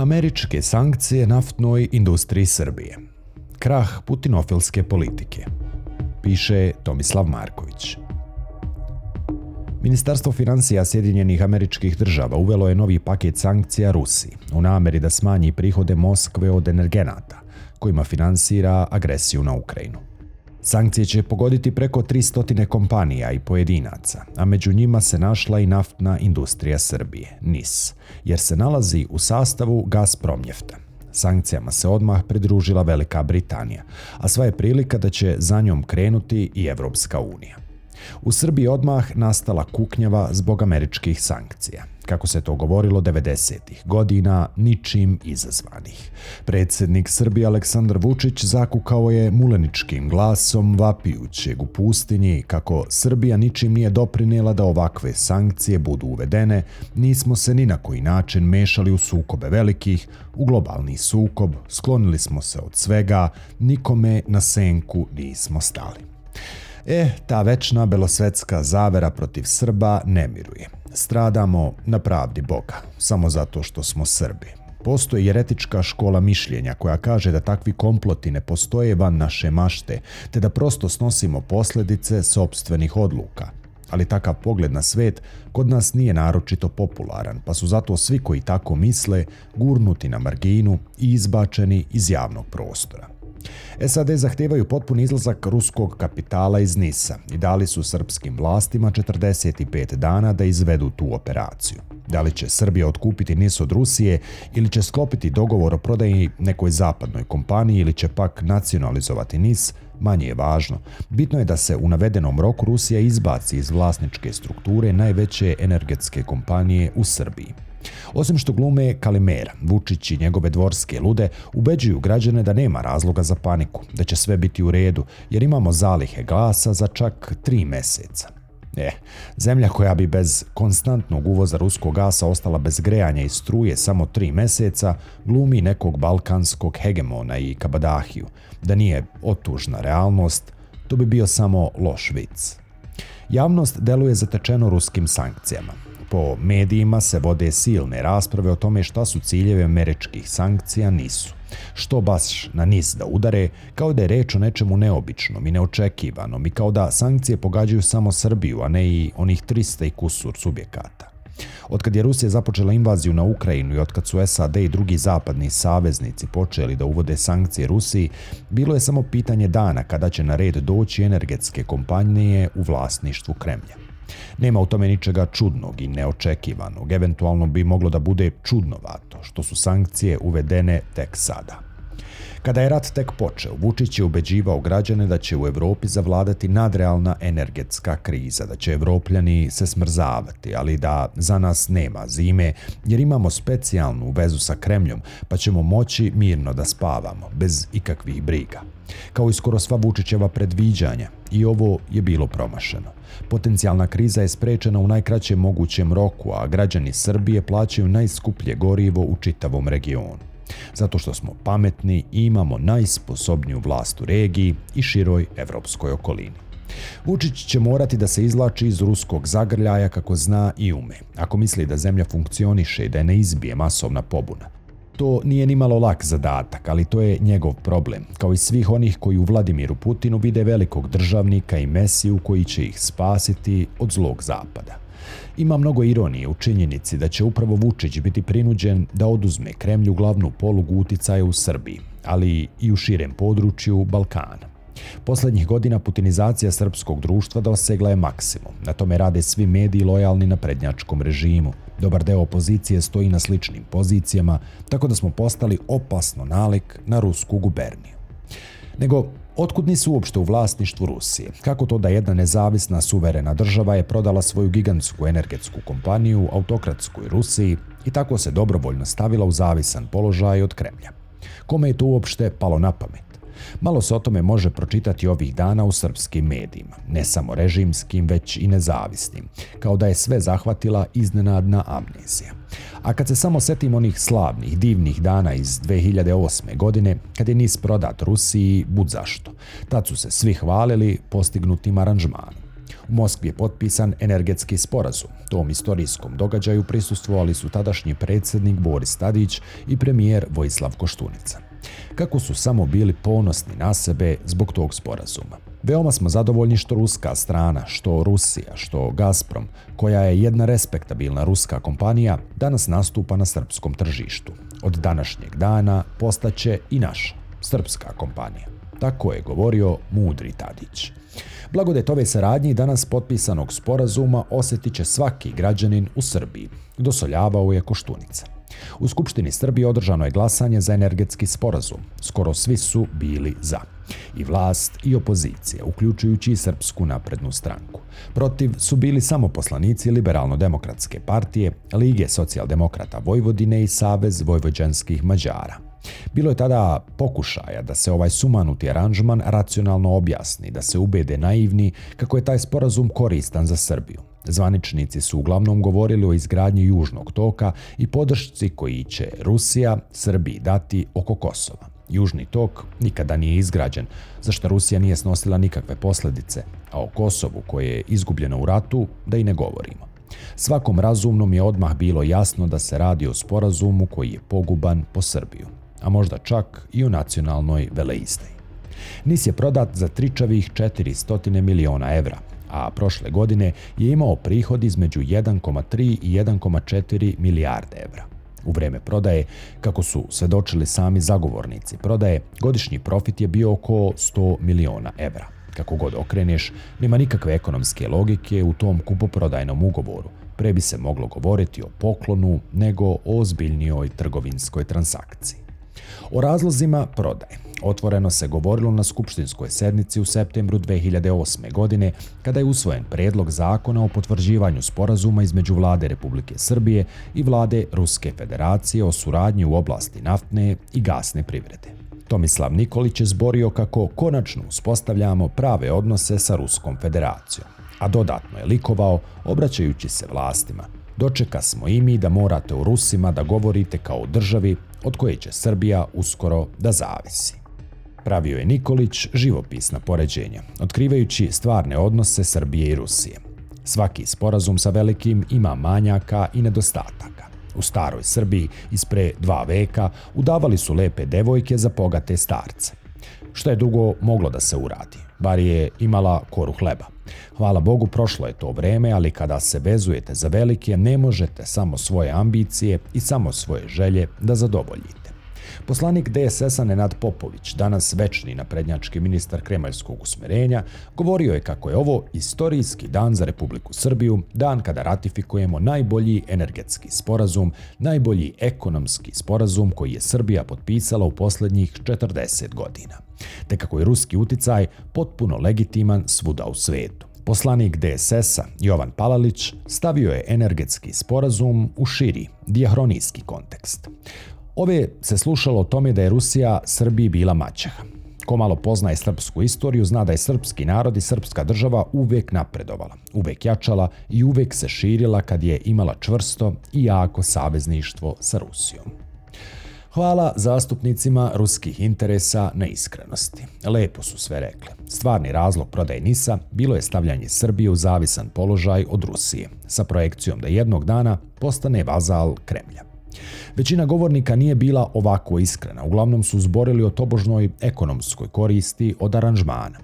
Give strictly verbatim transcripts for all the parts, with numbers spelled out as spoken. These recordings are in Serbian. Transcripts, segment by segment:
Američke sankcije naftnoj industriji Srbije. Krah putinofilske politike. Piše Tomislav Marković. Ministarstvo financija Sjedinjenih Američkih Država uvelo je novi paket sankcija Rusiji u nameri da smanji prihode Moskve od energenata, kojima finansira agresiju na Ukrajinu. Sankcije će pogoditi preko tristo kompanija i pojedinaca, a među njima se našla i naftna industrija Srbije, N I S, jer se nalazi u sastavu Gazpromnjefta. Sankcijama se odmah pridružila Velika Britanija, a sva je prilika da će za njom krenuti i Evropska unija. U Srbiji odmah nastala kuknjava zbog američkih sankcija. Kako se to govorilo devedesetih godina, ničim izazvanih. Predsjednik Srbije Aleksandar Vučić zakukao je muleničkim glasom vapijućeg u pustinji kako Srbija ničim nije doprinijela da ovakve sankcije budu uvedene, nismo se ni na koji način mešali u sukobe velikih, u globalni sukob, sklonili smo se od svega, nikome na senku nismo stali. E, ta večna belosvetska zavera protiv Srba ne miruje. Stradamo na pravdi Boga, samo zato što smo Srbi. Postoji jeretička škola mišljenja koja kaže da takvi komploti ne postoje van naše mašte, te da prosto snosimo posljedice sopstvenih odluka. Ali takav pogled na svet kod nas nije naročito popularan, pa su zato svi koji tako misle gurnuti na marginu i izbačeni iz javnog prostora. S A D zahtijevaju potpuni izlazak ruskog kapitala iz N I S-a i dali su srpskim vlastima četrdeset pet dana da izvedu tu operaciju. Da li će Srbija otkupiti N I S od Rusije ili će sklopiti dogovor o prodaji nekoj zapadnoj kompaniji ili će pak nacionalizovati N I S, manje je važno. Bitno je da se u navedenom roku Rusija izbaci iz vlasničke strukture najveće energetske kompanije u Srbiji. Osim što glume Kalimera, Vučić i njegove dvorske lude ubeđuju građane da nema razloga za paniku, da će sve biti u redu, jer imamo zalihe gasa za čak tri meseca. E, zemlja koja bi bez konstantnog uvoza ruskog gasa ostala bez grejanja i struje samo tri meseca, glumi nekog balkanskog hegemona i kabadahiju. Da nije otužna realnost, to bi bio samo loš vic. Javnost deluje zatečeno ruskim sankcijama. Po medijima se vode silne rasprave o tome šta su ciljevi američkih sankcija nisu. Što baš na N I S da udare, kao da je reč o nečemu neobičnom i neočekivanom i kao da sankcije pogađaju samo Srbiju, a ne i onih trista i kusur subjekata. Otkad je Rusija započela invaziju na Ukrajinu i otkad su S A D i drugi zapadni saveznici počeli da uvode sankcije Rusiji, bilo je samo pitanje dana kada će na red doći energetske kompanije u vlasništvu Kremlja. Nema u tome ničega čudnog i neočekivanog, eventualno bi moglo da bude čudnovato što su sankcije uvedene tek sada. Kada je rat tek počeo, Vučić je ubeđivao građane da će u Evropi zavladati nadrealna energetska kriza, da će Evropljani se smrzavati, ali da za nas nema zime jer imamo specijalnu vezu sa Kremljom pa ćemo moći mirno da spavamo, bez ikakvih briga. Kao i skoro sva Vučićeva predviđanja, i ovo je bilo promašeno. Potencijalna kriza je sprečena u najkraćem mogućem roku, a građani Srbije plaćaju najskuplje gorivo u čitavom regionu. Zato što smo pametni i imamo najsposobniju vlast u regiji i široj evropskoj okolini. Vučić će morati da se izvlači iz ruskog zagrljaja kako zna i ume, ako misli da zemlja funkcioniše i da je ne izbije masovna pobuna. To nije ni malo lak zadatak, ali to je njegov problem, kao i svih onih koji u Vladimiru Putinu vide velikog državnika i mesiju koji će ih spasiti od zlog zapada. Ima mnogo ironije u činjenici da će upravo Vučić biti prinuđen da oduzme Kremlju glavnu polugu uticaja u Srbiji, ali i u širem području Balkana. Poslednjih godina putinizacija srpskog društva dosegla je maksimum. Na tome rade svi mediji lojalni na prednjačkom režimu. Dobar deo opozicije stoji na sličnim pozicijama, tako da smo postali opasno nalik na rusku guberniju. Nego, otkud nisu uopšte u vlasništvu Rusije? Kako to da jedna nezavisna suverena država je prodala svoju gigantsku energetsku kompaniju autokratskoj Rusiji i tako se dobrovoljno stavila u zavisan položaj od Kremlja? Kome je to uopšte palo na pamet? Malo se o tome može pročitati ovih dana u srpskim medijima, ne samo režimskim, već i nezavisnim, kao da je sve zahvatila iznenadna amnezija. A kad se samo setimo onih slavnih, divnih dana iz dve hiljade osme. godine, kad je N I S prodat Rusiji, bud zašto. Tad su se svi hvalili postignutim aranžmanom. U Moskvi je potpisan energetski sporazum. Tom istorijskom događaju prisustvovali su tadašnji predsjednik Boris Tadić i premijer Vojislav Koštunica. Kako su samo bili ponosni na sebe zbog tog sporazuma. Veoma smo zadovoljni što ruska strana, što Rusija, što Gazprom, koja je jedna respektabilna ruska kompanija, danas nastupa na srpskom tržištu. Od današnjeg dana postaće i naša srpska kompanija. Tako je govorio mudri Tadić. Blagodet ove saradnje i danas potpisanog sporazuma osjetit će svaki građanin u Srbiji, dosoljavao je Koštunica. U Skupštini Srbije održano je glasanje za energetski sporazum. Skoro svi su bili za. I vlast i opozicija, uključujući i Srpsku naprednu stranku. Protiv su bili samo poslanici Liberalno-demokratske partije, Lige socijaldemokrata Vojvodine i Savez vojvođanskih Mađara. Bilo je tada pokušaja da se ovaj sumanuti aranžman racionalno objasni, da se ubede naivni kako je taj sporazum koristan za Srbiju. Zvaničnici su uglavnom govorili o izgradnji Južnog toka i podršci koji će Rusija Srbiji dati oko Kosova. Južni tok nikada nije izgrađen, za što Rusija nije snosila nikakve posljedice, a o Kosovu koje je izgubljeno u ratu da i ne govorimo. Svakom razumnom je odmah bilo jasno da se radi o sporazumu koji je poguban po Srbiju, a možda čak i o nacionalnoj veleizdaji. Nis je prodat za tričavih četiristo miliona evra, a prošle godine je imao prihod između jedan zarez tri i jedan zarez četiri milijarde evra. U vreme prodaje, kako su svedočili sami zagovornici prodaje, godišnji profit je bio oko sto miliona evra. Kako god okreneš, nema nikakve ekonomske logike u tom kupoprodajnom ugovoru. Pre bi se moglo govoriti o poklonu nego o ozbiljnijoj trgovinskoj transakciji. O razlozima prodaje otvoreno se govorilo na skupštinskoj sednici u septembru dve hiljade osme. godine, kada je usvojen predlog zakona o potvrđivanju sporazuma između Vlade Republike Srbije i Vlade Ruske Federacije o suradnji u oblasti naftne i gasne privrede. Tomislav Nikolić je zborio kako konačno uspostavljamo prave odnose sa Ruskom Federacijom, a dodatno je likovao obraćajući se vlastima. Dočeka smo i mi da morate o Rusima da govorite kao o državi od koje će Srbija uskoro da zavisi. Pravio je Nikolić živopisna poređenja, otkrivajući stvarne odnose Srbije i Rusije. Svaki sporazum sa velikim ima manjaka i nedostataka. U staroj Srbiji ispre dva veka udavali su lepe devojke za bogate starce. Što je dugo moglo da se uradi, bar je imala koru hleba. Hvala Bogu, prošlo je to vreme, ali kada se vezujete za velike, ne možete samo svoje ambicije i samo svoje želje da zadovoljite. Poslanik D S S-a Nenad Popović, danas večni naprednjački ministar kremaljskog usmerenja, govorio je kako je ovo istorijski dan za Republiku Srbiju, dan kada ratifikujemo najbolji energetski sporazum, najbolji ekonomski sporazum koji je Srbija potpisala u posljednjih četrdeset godina. Te kako je ruski uticaj potpuno legitiman svuda u svetu. Poslanik D S S-a Jovan Palalić stavio je energetski sporazum u širi, dijahronijski kontekst. Ove se slušalo o tome da je Rusija Srbiji bila maćeha. Ko malo poznaje srpsku istoriju zna da je srpski narod i srpska država uvek napredovala, uvek jačala i uvek se širila kad je imala čvrsto i jako savezništvo sa Rusijom. Hvala zastupnicima ruskih interesa na iskrenosti. Lepo su sve rekli. Stvarni razlog prodaje Nisa bilo je stavljanje Srbije u zavisan položaj od Rusije, sa projekcijom da jednog dana postane vazal Kremlja. Većina govornika nije bila ovako iskrena, uglavnom su zborili o tobožnoj ekonomskoj koristi od aranžmana.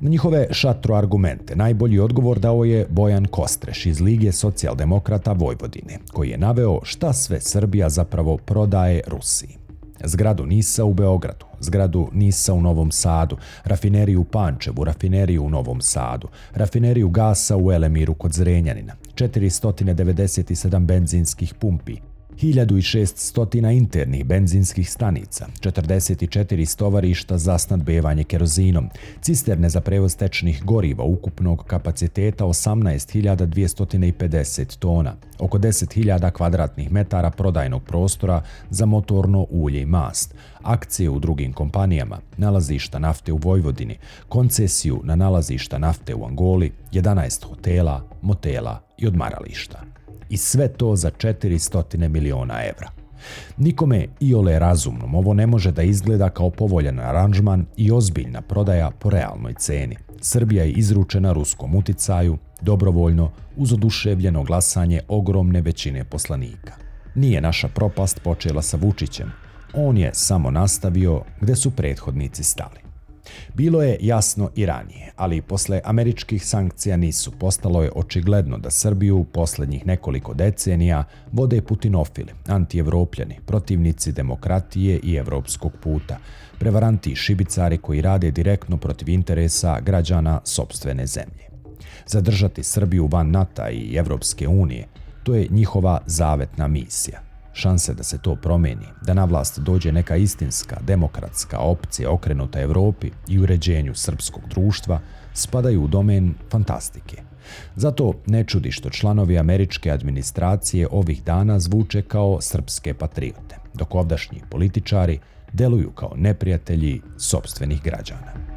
Na njihove šatro argumente najbolji odgovor dao je Bojan Kostreš iz Lige socijaldemokrata Vojvodine, koji je naveo šta sve Srbija zapravo prodaje Rusiji. Zgradu Nisa u Beogradu, zgradu Nisa u Novom Sadu, rafineriju u Pančevu, rafineriju u Novom Sadu, rafineriju gasa u Elemiru kod Zrenjanina, četiristo devedeset sedam benzinskih pumpi, hiljadu šessto internih benzinskih stanica, četrdeset četiri stovarišta za snadbevanje kerozinom, cisterne za prevoz tečnih goriva ukupnog kapaciteta osamnaest hiljada dvjesto pedeset tona, oko deset hiljada kvadratnih metara prodajnog prostora za motorno ulje i mast, akcije u drugim kompanijama, nalazišta nafte u Vojvodini, koncesiju na nalazišta nafte u Angoli, jedanaest hotela, motela i odmarališta. I sve to za četiristo miliona evra. Nikome iole razumnom ovo ne može da izgleda kao povoljan aranžman i ozbiljna prodaja po realnoj ceni. Srbija je izručena ruskom uticaju, dobrovoljno, uz oduševljeno glasanje ogromne većine poslanika. Nije naša propast počela sa Vučićem, on je samo nastavio gde su prethodnici stali. Bilo je jasno i ranije, ali posle američkih sankcija nisu. Postalo je očigledno da Srbiju posljednjih nekoliko decenija vode putinofili, antievropljani, protivnici demokratije i evropskog puta, prevaranti i šibicari koji rade direktno protiv interesa građana sopstvene zemlje. Zadržati Srbiju van NATO i Evropske unije, to je njihova zavetna misija. Šanse da se to promeni, da na vlast dođe neka istinska, demokratska opcija okrenuta Evropi i uređenju srpskog društva, spadaju u domen fantastike. Zato ne čudi što članovi američke administracije ovih dana zvuče kao srpske patriote, dok ovdašnji političari deluju kao neprijatelji sopstvenih građana.